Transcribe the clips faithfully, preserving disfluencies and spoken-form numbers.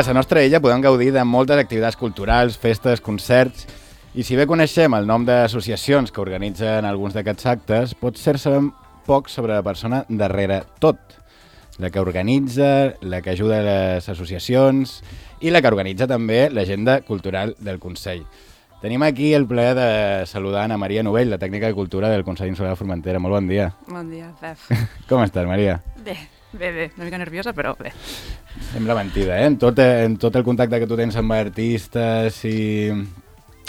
que a la nostra illa podem gaudir de moltes activitats culturals, festes, concerts, i si bé coneixem el nom d'associacions que organitzen alguns d'aquests actes, potser sabem poc sobre la persona darrere tot. La que organitza, la que ajuda a les associacions i la que organitza també l'agenda cultural del Consell. Tenim aquí el plaer de saludar Ana Maria Novell, la tècnica de cultura del Consell Insular de Formentera. Molt bon dia. Bon dia, Pep. Com estàs, Maria? Bé, bé, bé. Una mica nerviosa, però bé. Sembla mentida, eh? En tot, en tot el contacte que tu tens amb artistes i,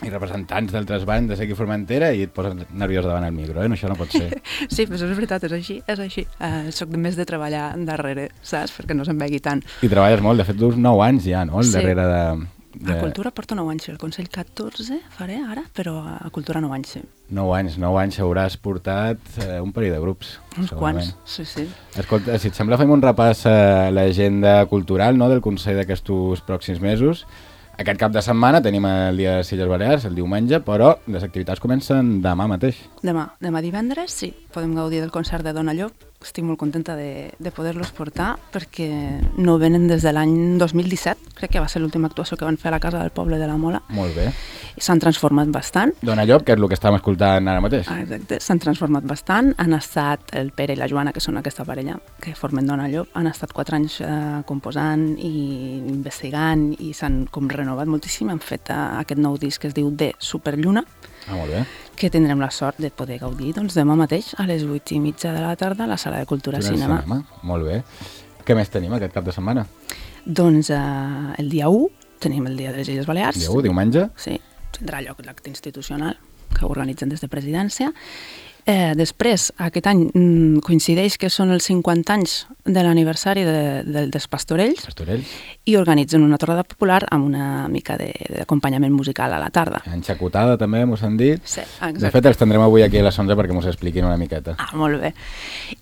i representants d'altres bandes aquí a Formentera i et poses nerviós davant el micro, eh? No, això no pot ser. Sí, però és veritat, és així, és així. Uh, soc més de treballar darrere, saps? Perquè no se'n vegi tant. I treballes molt, de fet, uns nou anys ja, no? Al Sí. darrere de... De... A Cultura porto nou anys, el Consell catorze faré ara, però a Cultura nou anys, sí. Nou anys, nou anys hauràs portat eh, un parell de grups. Uns segurament. quants, sí, sí. Escolta, si et sembla fem un repàs a l'agenda cultural, no?, del Consell d'aquests pròxims mesos. Aquest cap de setmana tenim el Dia de les Illes Balears, el diumenge, però les activitats comencen demà mateix. Demà, demà divendres, sí, podem gaudir del concert de Dona Llop. Estic molt contenta de, de poder-los portar perquè no venen des de l'any dos mil disset, crec que va ser l'última actuació que van fer a la Casa del Poble de la Mola. Molt bé. I s'han transformat bastant. Dona Llop, que és el que estàvem escoltant ara mateix. Ah, exacte, s'han transformat bastant. Han estat el Pere i la Joana, que són aquesta parella que formen Dona Llop, han estat quatre anys eh, composant i investigant i s'han com renovat moltíssim. Han fet eh, aquest nou disc que es diu De Superlluna, Ah, molt bé. que tindrem la sort de poder gaudir doncs, demà mateix a les vuit i mitja de la tarda a la Sala de Cultura Quin Cinema. cinema. Molt bé. Què més tenim aquest cap de setmana? Doncs eh, el dia u tenim el Dia de les Illes Balears. Dia u, diumenge. Sí, tindrà lloc l'acte institucional que organitzen des de Presidència. Eh, després, aquest any mm, coincideix que són els cinquanta anys de l'aniversari de, de, dels Pastorells Pastorells. i organitzen una tornada popular amb una mica de- d'acompanyament musical a la tarda. Enxacotada també, mos han dit. Sí, De exacte. fet, els tindrem avui aquí a les onze perquè mos expliquin una miqueta. Ah, molt bé.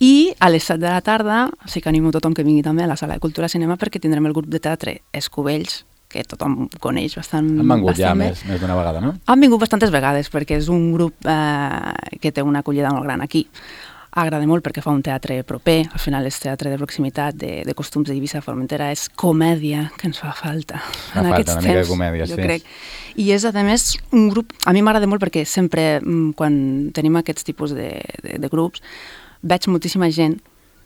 I a les set de la tarda sí que animo tothom que vingui també a la Sala de Cultura Cinema perquè tindrem el grup de teatre Escubells, que tothom coneix bastant, Han vengut ja bastant bé. més, més d'una vegada, no? Han vingut bastantes vegades perquè és un grup eh, que té una acollida molt gran aquí. Agrada molt perquè fa un teatre proper, al final és teatre de proximitat, de, de costums d'Eivissa, Formentera, és comèdia que ens fa falta Fa en falta aquests una mica de temps, comèdia, jo sí. crec. I és, a més, un grup... A mi m'agrada molt perquè sempre, mm, quan tenim aquests tipus de, de, de grups, veig moltíssima gent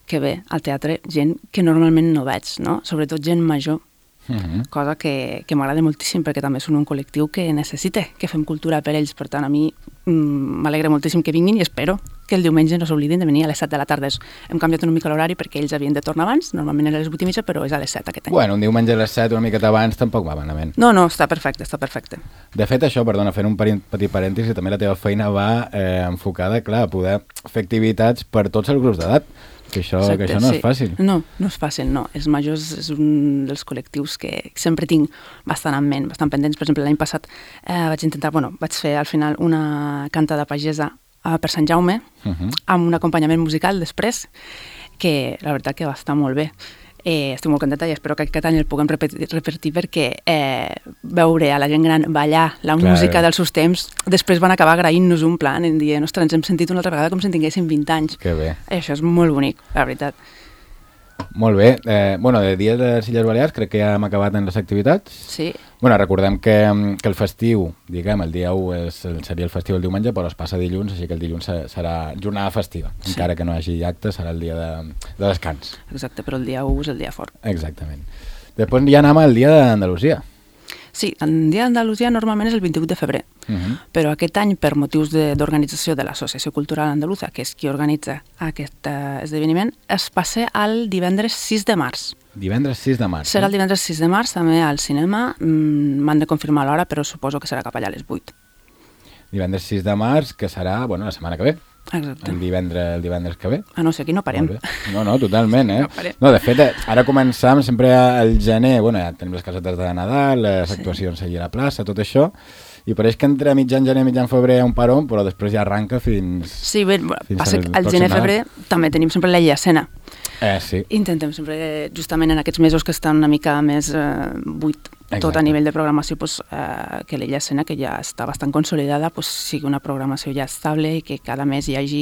que ve al teatre, gent que normalment no veig, no? Sobretot gent major, Uh -huh. cosa que, que m'agrada moltíssim perquè també són un col·lectiu que necessita que fem cultura per ells. Per tant, a mi mm, m'alegra moltíssim que vinguin i espero que el diumenge no s'oblidin de venir a les set de la tarda. Hem canviat una mica l'horari perquè ells havien de tornar abans, normalment era a les vuit i mitja, però és a les set aquest any. Bueno, un diumenge a les set, una miqueta abans, tampoc va malament. No, no, està perfecte, està perfecte. De fet, això, perdona, fent un peri- petit parèntesi, també la teva feina va eh, enfocada, clar, a poder fer activitats per tots els grups d'edat, que això, Exacte, que això no sí. és fàcil. No, no és fàcil, no. Els majors és un dels col·lectius que sempre tinc bastant en ment, bastant pendents. Per exemple, l'any passat eh, vaig intentar, bueno, vaig fer al final una canta de pagesa eh, per Sant Jaume, Uh -huh. amb un acompanyament musical després, que la veritat que va estar molt bé. Eh, estic molt contenta i espero que aquest any el puguem repetir, repetir perquè eh, veure a la gent gran ballar la Clar. música dels seus temps, després van acabar agraint-nos un plan, en dir, ostres, ens hem sentit una altra vegada com si en tinguéssim vint anys. Que bé. I això és molt bonic, la veritat. Molt bé. Eh, bueno, de Dia de les Illes Balears crec que ja hem acabat en les activitats. Sí, Bueno, recordem que, que el festiu, diguem, el dia u és, el, seria el festiu el diumenge, però es passa dilluns, així que el dilluns se- serà jornada festiva. Sí. Encara que no hi hagi acte, serà el dia de, de descans. exacte, però el dia u és el dia fort. Exactament. Després ja anem al dia d'Andalusia. Sí, el dia d'Andalusia normalment és el vint-i-vuit de febrer, Uh -huh. però aquest any, per motius de- d'organització de, de l'Associació Cultural Andaluza, que és qui organitza aquest eh, esdeveniment, es passa al divendres sis de març. Divendres sis de març. Serà el no? divendres sis de març, també al cinema. Mm, m'han de confirmar l'hora, però suposo que serà cap allà a les vuit. Divendres sis de març, que serà, bueno, la setmana que ve. Exacte. El divendres, el divendres que ve. A no ser aquí no parem. Molt bé. No, no, totalment, eh? No parem. No, de fet, eh, ara començam sempre al gener, bueno, ja tenim les casetes de Nadal, les Sí. actuacions allà a la plaça, tot això, i pareix que entre mitjan gener i mitjan febrer hi ha un parón, però després ja arranca fins... Sí, bé, bueno, Fins passa al que al pròxim gener-febrer també tenim sempre la llacena, Eh, sí. Intentem sempre, justament en aquests mesos que estan una mica més eh, buit, tot Exacte. a nivell de programació, pues, eh, que l'Illa Escena, que ja està bastant consolidada, pues, sigui una programació ja estable i que cada mes hi hagi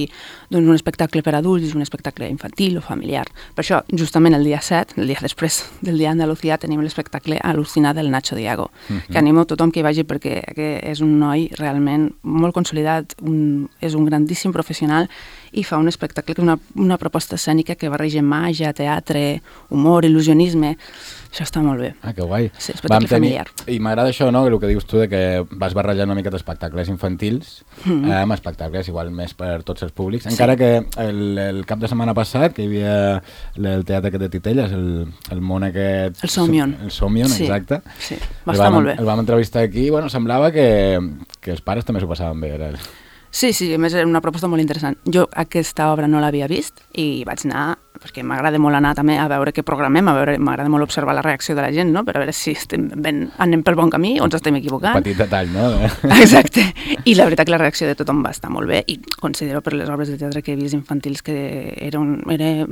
doncs, un espectacle per adults, un espectacle infantil o familiar. Per això, justament el dia set, el dia després del dia d'Andalucía, tenim l'espectacle Al·lucina del Nacho Diago, uh-huh. que animo tothom que hi vagi perquè que és un noi realment molt consolidat, un, és un grandíssim professional i fa un espectacle, una, una proposta escènica que barreja màgia, teatre, humor, il·lusionisme. Això està molt bé. Ah, que guai. Sí, espectacle familiar. I m'agrada això, no?, el que dius tu, de que vas barrejant una mica d'espectacles infantils mm-hmm. eh, amb espectacles igual més per tots els públics. Sí. Encara que el, el cap de setmana passat, que hi havia el teatre aquest de Titelles, el, el món aquest... El Somion. El Somion, sí. exacte. Sí, va estar vam, molt bé. El vam entrevistar aquí i bueno, semblava que, que els pares també s'ho passaven bé. Era... Sí, sí, a més era una proposta molt interessant. Jo aquesta obra no l'havia vist i vaig anar, perquè m'agrada molt anar també a veure què programem, a veure, m'agrada molt observar la reacció de la gent, no?, per a veure si estem ben, anem pel bon camí o ens estem equivocant. Un petit detall, no? Exacte. I la veritat que la reacció de tothom va estar molt bé i considero per les obres de teatre que he vist infantils que era, un, era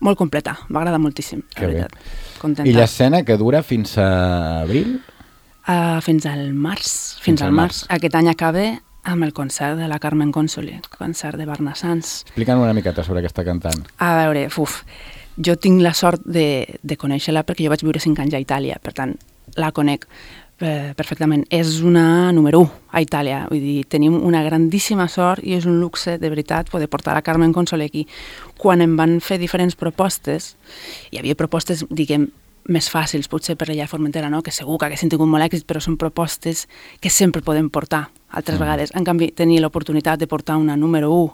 molt completa, m'agrada moltíssim, la que veritat. Contenta. I l'escena que dura fins a abril? Uh, fins al març. Fins, fins al març. març. Aquest any acaba amb el concert de la Carmen Consoli, concert de Barnassans. Explica'm una miqueta sobre aquesta cantant. A veure, uf, jo tinc la sort de, de conèixer-la perquè jo vaig viure cinc anys a Itàlia, per tant, la conec eh, perfectament. És una número u a Itàlia, vull dir, tenim una grandíssima sort i és un luxe, de veritat, poder portar la Carmen Consoli aquí. Quan em van fer diferents propostes, hi havia propostes, diguem, més fàcils, potser per allà a Formentera, no?, que segur que haguessin tingut molt èxit, però són propostes que sempre podem portar altres mm. vegades. En canvi, tenir l'oportunitat de portar una número u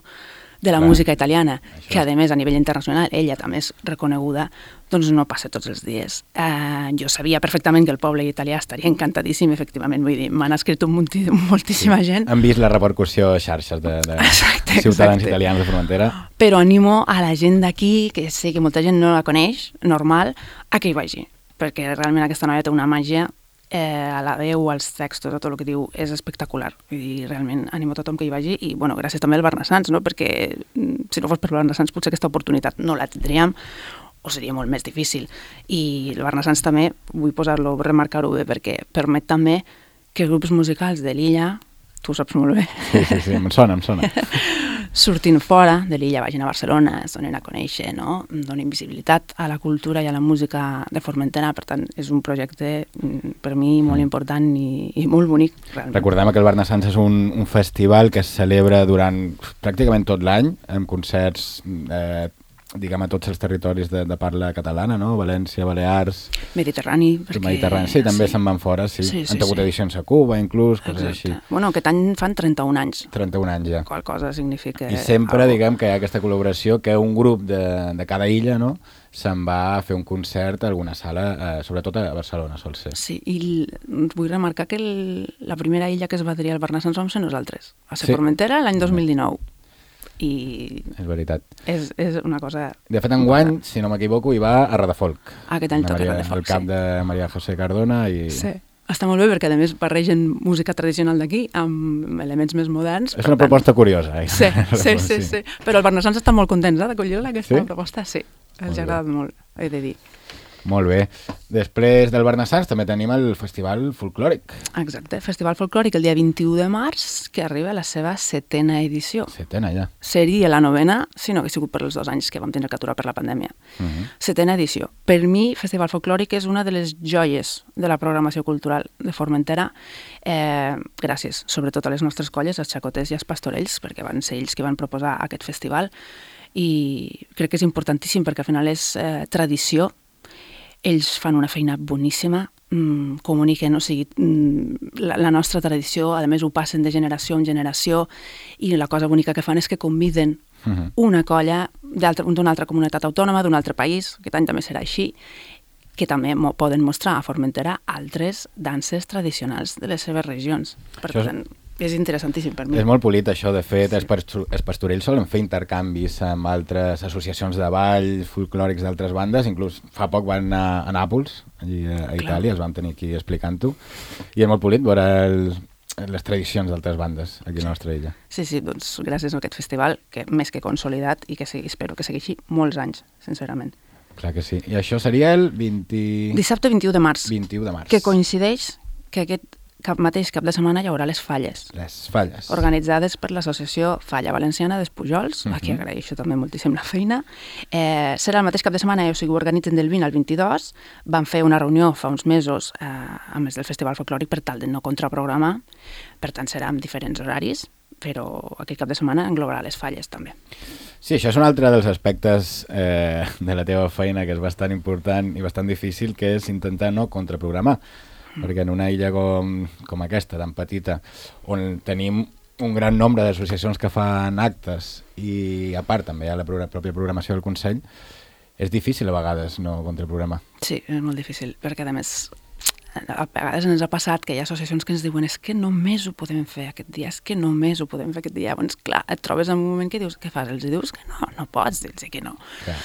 de la Clar. música italiana, Això. que a més a nivell internacional ella també és reconeguda, doncs no passa tots els dies. Uh, jo sabia perfectament que el poble italià estaria encantadíssim, efectivament, vull dir, m'han escrit un muntí, moltíssima sí. gent. Han vist la repercussió a xarxes de, de exacte, ciutadans exacte. italians de Formentera. Però animo a la gent d'aquí, que sé que molta gent no la coneix, normal, a que hi vagi, perquè realment aquesta noia té una màgia. Eh, a la veu, als textos, a tot el que diu, és espectacular. Vull dir, realment animo a tothom que hi vagi i, bueno, gràcies també al Barnassans, no?, perquè si no fos per Barnassans potser aquesta oportunitat no la tindríem o seria molt més difícil. I el Barnassans també, vull posar-lo, remarcar-ho bé, perquè permet també que grups musicals de l'illa, tu ho saps molt bé. Sí, sí, sí, em sona, em sona. Sortint fora de l'illa, vagin a Barcelona, es donen a conèixer, no?, donen visibilitat a la cultura i a la música de Formentera, per tant, és un projecte per mi molt important i, i molt bonic, realment. Recordem que el Barnassans és un, un festival que es celebra durant pràcticament tot l'any, amb concerts eh, diguem, a tots els territoris de, de parla catalana, no? València, Balears... Mediterrani, perquè... Mediterrani, sí, també sí. se'n van fora, sí. sí, sí Han tingut sí. edicions a Cuba, inclús, coses així. Bueno, aquest any fan trenta-un anys. trenta-un anys, ja. Qual cosa significa... I sempre, algo. diguem, que hi ha aquesta col·laboració, que un grup de, de cada illa, no?, se'n va a fer un concert a alguna sala, eh, sobretot a Barcelona, sol ser. Sí, i l... vull remarcar que el... la primera illa que es va adherir al Barnassans vam ser nosaltres, a ser sí. Formentera, l'any dos mil dinou. I és veritat. És, és una cosa... De fet, enguany, si no m'equivoco, hi va a Radafolk. Aquest any toca Radafolk, el cap sí. de Maria José Cardona i... Sí. Està molt bé perquè, a més, barregen música tradicional d'aquí amb elements més moderns. És una tant... proposta curiosa. Eh? Sí, sí, sí, sí. Però els barnassans estan molt contents eh, d'acollir-la, aquesta sí? proposta. Sí, els ha agradat molt, he de dir. Molt bé. Després del Barnassans també tenim el Festival Folclòric. Exacte, Festival Folclòric el dia vint-i-u de març, que arriba a la seva setena edició. Setena, ja. Seria la novena, si no hagués sigut per els dos anys que vam tenir que aturar per la pandèmia. Uh-huh. Setena edició. Per mi, Festival Folclòric és una de les joies de la programació cultural de Formentera, eh, gràcies sobretot a les nostres colles, els xacoters i els pastorells, perquè van ser ells que van proposar aquest festival, i crec que és importantíssim perquè al final és eh, tradició. Ells fan una feina boníssima, mmm, comuniquen, o sigui, mmm, la, la nostra tradició, a més ho passen de generació en generació, i la cosa bonica que fan és que conviden uh-huh. una colla d'una altra comunitat autònoma, d'un altre país, aquest any també serà així, que també mo- poden mostrar a Formentera altres danses tradicionals de les seves regions. Per Això tant, és interessantíssim per mi. És molt polit això, de fet, els, pastu- els pastorells solen fer intercanvis amb altres associacions de ball folclòrics d'altres bandes, inclús fa poc van anar a Nàpols, allí a, a Itàlia, els vam tenir aquí explicant-ho, i és molt polit veure els, les tradicions d'altres bandes aquí a la nostra illa. Sí, sí, doncs gràcies a aquest festival, que més que consolidat i que segui, espero que segueixi molts anys, sincerament. Clar que sí. I això seria el vint... Dissabte vint-i-u de març. vint-i-u de març. Que coincideix que aquest cap mateix cap de setmana hi haurà les falles. Les falles. Organitzades per l'associació Falla Valenciana dels Pujols, uh -huh. a qui agraeixo també moltíssim la feina. Eh, serà el mateix cap de setmana, o sigui, ho organitzen del vint al vint-i-dos. Van fer una reunió fa uns mesos eh, a més del Festival Folclòric per tal de no contraprogramar. Per tant, serà amb diferents horaris, però aquest cap de setmana englobarà les falles també. Sí, això és un altre dels aspectes eh, de la teva feina que és bastant important i bastant difícil, que és intentar no contraprogramar. Perquè en una illa com, com aquesta, tan petita, on tenim un gran nombre d'associacions que fan actes i a part també hi ha la pro- pròpia programació del Consell, és difícil a vegades no contraprogramar. Sí, és molt difícil, perquè a més a vegades ens ha passat que hi ha associacions que ens diuen és que només ho podem fer aquest dia, és que només ho podem fer aquest dia. Llavors, clar, et trobes en un moment que dius, què fas? Els dius que no, no pots dir-los que no. Clar.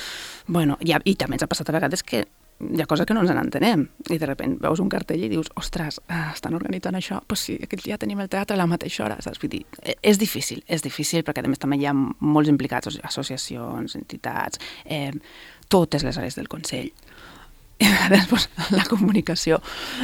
Bueno, i, i també ens ha passat a vegades que hi ha coses que no ens n'entenem i de sobte veus un cartell i dius ostres, estan organitzant això, doncs pues sí, aquest dia tenim el teatre a la mateixa hora, saps? Vull dir, és difícil, és difícil perquè a més també hi ha molts implicats, associacions, entitats, eh, totes les àrees del Consell. I després la comunicació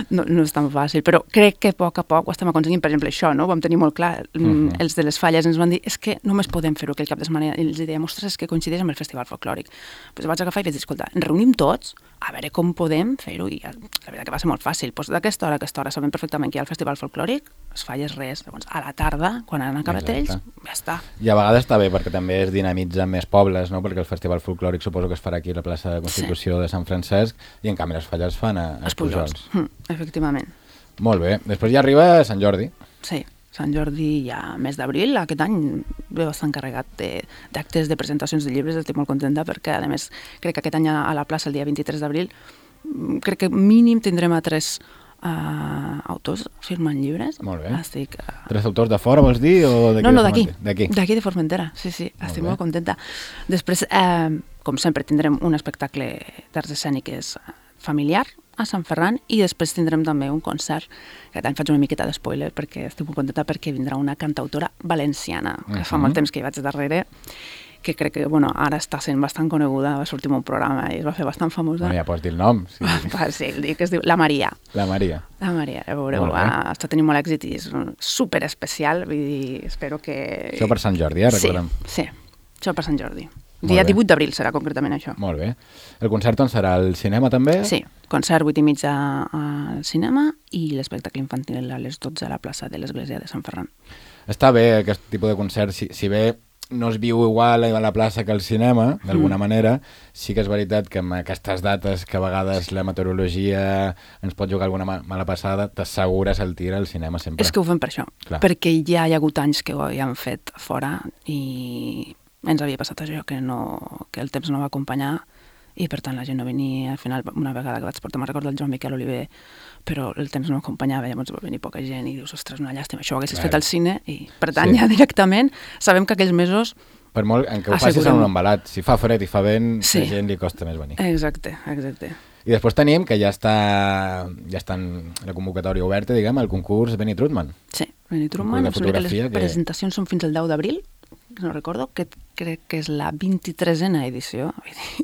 no, no és tan fàcil, però crec que a poc a poc ho estem aconseguint. Per exemple, això, no? Ho vam tenir molt clar. Uh-huh. Els de les falles ens van dir és que només podem fer-ho aquell cap de setmana. I els dèiem, ostres, és que coincideix amb el Festival Folclòric. Doncs vaig agafar i vaig dir, escolta, ens reunim tots a veure com podem fer-ho. I la veritat que va ser molt fàcil. Pues d'aquesta hora a aquesta hora sabem perfectament que hi ha el Festival Folclòric, les falles res. Llavors, a la tarda, quan han acabat ells, ja està. I a vegades està bé perquè també es dinamitza més pobles, no? Perquè el Festival Folclòric suposo que es farà aquí a la plaça de Constitució sí. de Sant Francesc i en canvi les falles fan a, a Pujols. Mm, efectivament. Molt bé. Després ja arriba Sant Jordi. Sí, Sant Jordi ja mes d'abril. Aquest any ve bastant carregat d'actes, de, de presentacions de llibres. Estic molt contenta perquè, a més, crec que aquest any a la plaça, el dia vint-i-tres d'abril, crec que mínim tindrem a tres uh, autors firmant llibres. Molt bé. Estic, uh... Tres autors de fora, vols dir? O no, no, d'aquí. D'aquí. D'aquí de Formentera, sí, sí. Molt estic bé. Molt contenta. Després, eh, com sempre, tindrem un espectacle d'arts escèniques familiar a Sant Ferran i després tindrem també un concert, que aquest any faig una miqueta d'espoiler perquè estic molt contenta perquè vindrà una cantautora valenciana, que uh-huh. fa molt temps que hi vaig darrere, que crec que bueno, ara està sent bastant coneguda, va sortir un programa i es va fer bastant famosa. No, ja pots dir el nom. Sí, sí el dic, que es diu La Maria. La Maria. La Maria, a veure, va, està tenint molt èxit i és super especial, vull dir, espero que... Això per Sant Jordi, eh, recordem. Sí, sí, això per Sant Jordi. Dia divuit d'abril serà concretament això. Molt bé. El concert on serà? Al cinema també? Sí, concert vuit i mitja al cinema i l'espectacle infantil a les dotze a la plaça de l'Església de Sant Ferran. Està bé aquest tipus de concert, si, si bé no es viu igual a la plaça que al cinema, d'alguna mm. manera, sí que és veritat que amb aquestes dates que a vegades la meteorologia ens pot jugar alguna mala passada, t'assegures el tir al cinema sempre. És que ho fem per això, Clar. perquè ja hi ha hagut anys que ho havíem fet fora i ens havia passat això, que, no, que el temps no va acompanyar i per tant la gent no venia. Al final, una vegada que vaig portar, me'n recordo el Joan Miquel Oliver, però el temps no acompanyava, llavors va venir poca gent i dius, ostres, una llàstima, això ho haguessis Clar. fet al cine i per tant sí. ja directament sabem que aquells mesos... Per molt en què ho facis en un embalat, si fa fred i fa vent, sí. la gent li costa més venir. Exacte, exacte. I després tenim que ja està ja està en la convocatòria oberta, diguem, el concurs Benny Trutman. Sí, Benny Trutman, les que... presentacions són fins al deu d'abril, no recordo, que crec que és la vint-i-tresena edició.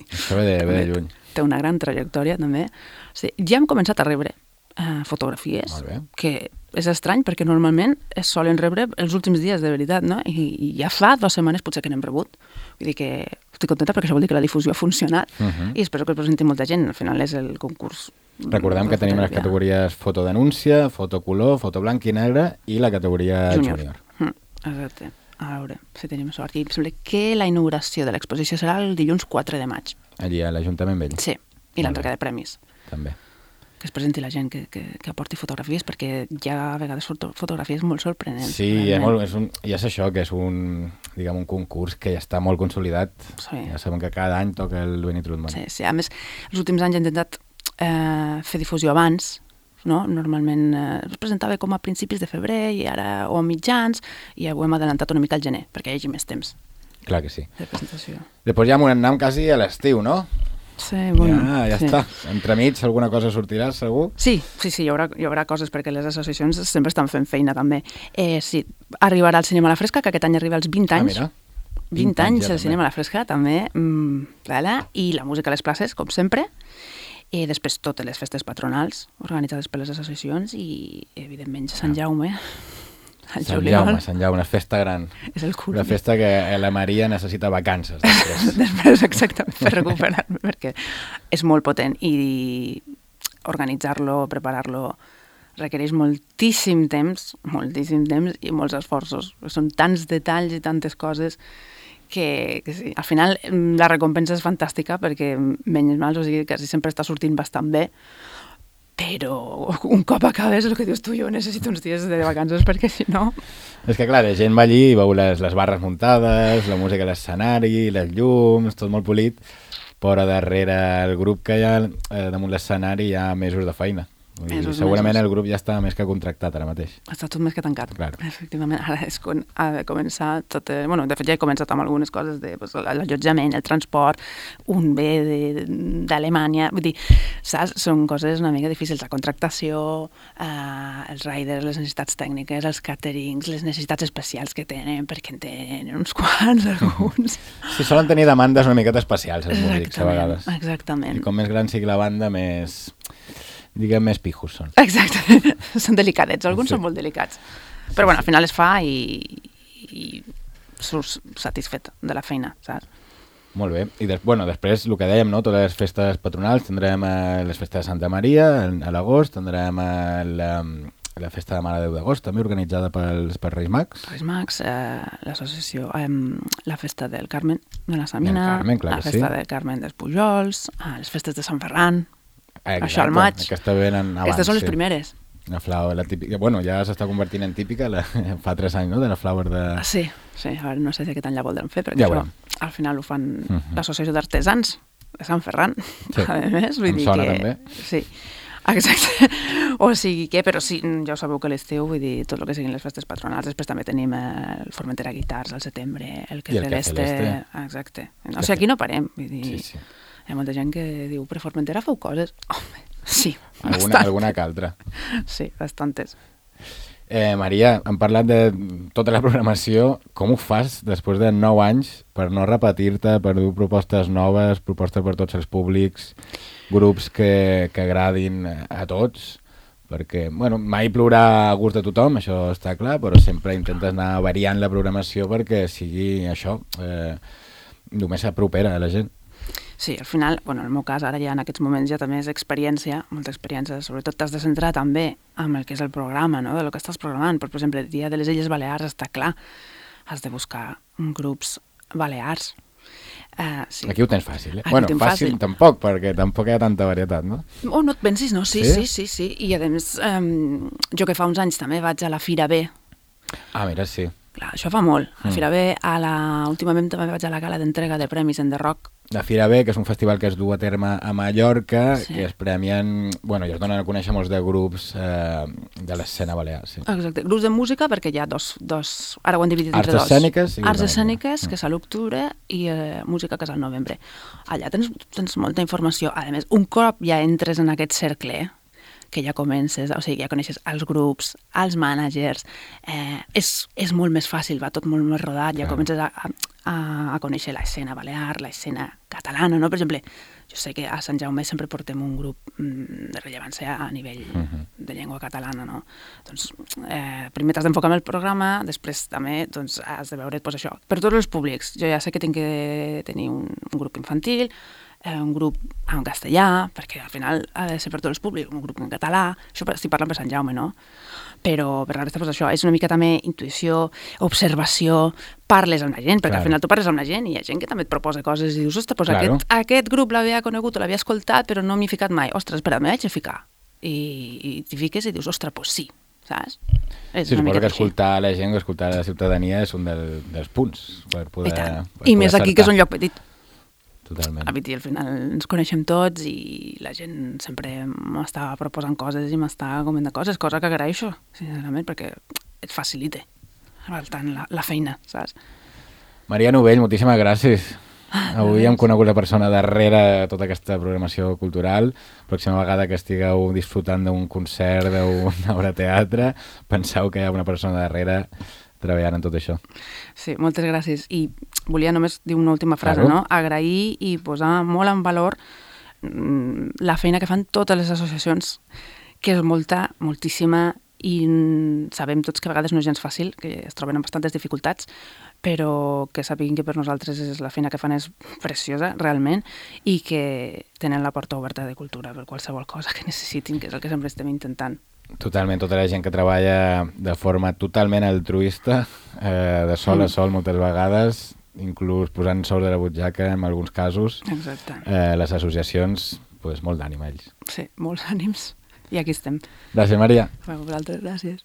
Això ve de, ve de lluny. Té una gran trajectòria, també. Sí, ja hem començat a rebre uh, fotografies, que és estrany perquè normalment es solen rebre els últims dies, de veritat, no? I, i ja fa dues setmanes potser que n'hem rebut. Vull dir que estic contenta perquè això vol dir que la difusió ha funcionat uh-huh. i espero que el presenti molta gent. Al final és el concurs. Recordem que tenim les categories fotodenúncia, fotocolor, foto blanc i negre i la categoria júnior. júnior. Mm, exacte. A veure, si tenim sort. I em sembla que la inauguració de l'exposició serà el dilluns quatre de maig. Allí, a l'Ajuntament Vell. Sí, i l'entrega de premis. També. Que es presenti la gent que, que, que aporti fotografies, perquè hi ha a vegades foto, fotografies molt sorprenents. Sí, és molt, és un, i és això, que és un, diguem, un concurs que ja està molt consolidat. Sí. Ja sabem que cada any toca el Benny Trutman. Sí, sí, a més, els últims anys he intentat eh, fer difusió abans, no? Normalment eh, es presentava com a principis de febrer i ara o a mitjans i ho hem adelantat una mica al gener perquè hi hagi més temps. Clar que sí. De presentació. Després ja m'ho anem quasi a l'estiu, no? Sí, bueno, ja, ja sí. està. Entremig alguna cosa sortirà, segur? Sí, sí, sí, hi haurà, hi haurà coses perquè les associacions sempre estan fent feina també. Eh, sí, arribarà al Cinema a la Fresca, que aquest any arriba als vint anys. Ah, mira. vint, vint anys anys ja, al també. Cinema a la Fresca, també. Mm, voilà. I la música a les places, com sempre. I després totes les festes patronals organitzades per les associacions i, evidentment, Sant Jaume. El Sant juliol. Jaume, Sant Jaume, una festa gran. És el cul. Una festa que la Maria necessita vacances després. Després, exactament, per recuperar-me, perquè és molt potent i organitzar-lo, preparar-lo, requereix moltíssim temps, moltíssim temps i molts esforços. Són tants detalls i tantes coses que, que sí, al final la recompensa és fantàstica perquè menys mal, o sigui, quasi sempre està sortint bastant bé, però un cop acabes el que dius tu, jo necessito uns dies de vacances perquè si no... És que clar, la gent va allí i veu les, les barres muntades, la música a l'escenari, les llums, tot molt polit, però darrere el grup que hi ha eh, damunt l'escenari hi ha mesos de feina. Vull dir, Mesos, segurament mesos. el grup ja està més que contractat ara mateix. Està tot més que tancat. Claro. Efectivament, ara és quan ha de començar tot... Eh, bueno, de fet ja he començat amb algunes coses de pues, l'allotjament, el transport, un ve de- d'Alemanya... Vull dir, saps? Són coses una mica difícils. La contractació, eh, els riders, les necessitats tècniques, els caterings, les necessitats especials que tenen, perquè en tenen uns quants, alguns... Sí, solen tenir demandes una miqueta especials, els músics, a vegades. Exactament. I com més gran sigui la banda, més... diguem, més pijos són. Exacte, són delicadets, alguns Sí. són molt delicats. Però bueno, al final es fa i, i surts satisfet de la feina, saps? Molt bé. I des, bueno, després, el que dèiem, no? Totes les festes patronals, tindrem eh, les festes de Santa Maria en- a l'agost, tindrem eh, la, la festa de Mare de Déu d'agost, també organitzada pels, per Reis Mags. Reis Mags, eh, l'associació, eh, la festa del Carmen de la Samina, Del Carmen, clar la que festa sí. del Carmen dels Pujols, eh, les festes de Sant Ferran, Exacte, això al maig. Aquesta venen abans, Aquestes són les sí. primeres. La flower, la típica, bueno, ja s'està convertint en típica, la, fa tres anys, no?, de la flower de... Ah, sí, sí, a veure, no sé si aquest any la voldran fer, perquè Ja això veurem. al final ho fan Mhm. l'associació d'artesans de Sant Ferran, Sí. a més, vull Em dir sona que... també. Sí, exacte. O sigui que, però sí, ja ho sabeu que l'estiu, vull dir, tot el que siguin les festes patronals, després també tenim eh, el Formentera Guitars al setembre, el que I el Cafè Celeste... Celeste. Exacte. O sigui, aquí no parem, vull dir... Sí, sí. Hi ha molta gent que diu, però Formentera feu coses? Home, sí, Alguna, bastant. alguna que altra. Sí, bastantes. Eh, Maria, hem parlat de tota la programació. Com ho fas després de nou anys per no repetir-te, per dur propostes noves, propostes per tots els públics, grups que, que agradin a tots? Perquè, bueno, mai plourà a gust de tothom, això està clar, però sempre intentes anar variant la programació perquè sigui això, eh, només s'apropera a la gent. Sí, al final, bueno, en el meu cas, ara ja en aquests moments ja també és experiència, molta experiència, sobretot t'has de centrar també amb el que és el programa, no?, de lo que estàs programant. Per exemple, el dia de les Illes Balears està clar, has de buscar grups balears. Uh, sí. Aquí ho tens fàcil, eh? Aquí Bueno, ho tinc fàcil, fàcil. tampoc, perquè tampoc hi ha tanta varietat, no? Oh, no et pensis, no? Sí, Sí? sí, sí, sí. I a més, um, jo que fa uns anys també vaig a la Fira B. Ah, mira, sí. Clar, això fa molt. A la Mm. Fira B, a la... últimament també vaig a la gala d'entrega de premis en The Rock. La Fira B, que és un festival que es du a terme a Mallorca, Sí. i es premien, bueno, i es donen a conèixer molts de grups eh, de l'escena balear, sí. Exacte, grups de música, perquè hi ha dos, dos ara ho han dividit Arts entre dos. escèniques i Arts música. escèniques, Mm. que és a l'octubre, i eh, música, que és al novembre. Allà tens, tens molta informació. A més, un cop ja entres en aquest cercle, que ja comences, o sigui, ja coneixes els grups, els mànagers, eh, és, és molt més fàcil, va tot molt més rodat, ja Clar. comences a, a, a conèixer l'escena balear, l'escena catalana, no? Per exemple, jo sé que a Sant Jaume sempre portem un grup mm, de rellevància a nivell Mhm. de llengua catalana, no? Doncs eh, primer t'has d'enfocar en el programa, després també doncs, has de veure pues, això. Per tots els públics, jo ja sé que tinc que tenir un, un grup infantil, eh, un grup en castellà, perquè al final ha de ser per tots els públics, un grup en català, això estic parlant per Sant Jaume, no? Però per la resta, pues, això, és una mica també intuïció, observació, parles amb la gent, perquè Claro. al final tu parles amb la gent i hi ha gent que també et proposa coses i dius, ostres, pues Claro. aquest, aquest grup l'havia conegut o l'havia escoltat, però no m'hi he ficat mai. Ostres, espera, m'hi haig de ficar. I, i t'hi fiques i dius, ostres, pues sí, saps? És Sí, una suposo miqueta que així. escoltar la gent, escoltar la ciutadania és un del, dels punts per poder... I tant. per I poder més aquí, que és un acertar. lloc petit. Totalment. A Viti, al final ens coneixem tots i la gent sempre m'està proposant coses i m'està comentant coses, cosa que agraeixo, sincerament, perquè et facilita bastant la, la feina, saps? Maria Novell, moltíssimes gràcies Avui hem conegut la persona darrere tota aquesta programació cultural. Pròxima vegada que estigueu disfrutant d'un concert, d'una obra de teatre, penseu que hi ha una persona darrere treballant en tot això. Sí, moltes gràcies. I volia només dir una última frase, Claro. no? Agrair i posar molt en valor mm, la feina que fan totes les associacions, que és molta, moltíssima, i mm, sabem tots que a vegades no és gens fàcil, que es troben amb bastantes dificultats, però que sapiguin que per nosaltres és la feina que fan és preciosa, realment, i que tenen la porta oberta de cultura per qualsevol cosa que necessitin, que és el que sempre estem intentant. Totalment, tota la gent que treballa de forma totalment altruista, eh, de sol a sol moltes vegades, inclús posant sous de la butxaca en alguns casos. Exacte. Eh, les associacions, pues, molt d'ànim a ells. Sí, molts ànims. I aquí estem. Gràcies, Maria. A vosaltres, gràcies.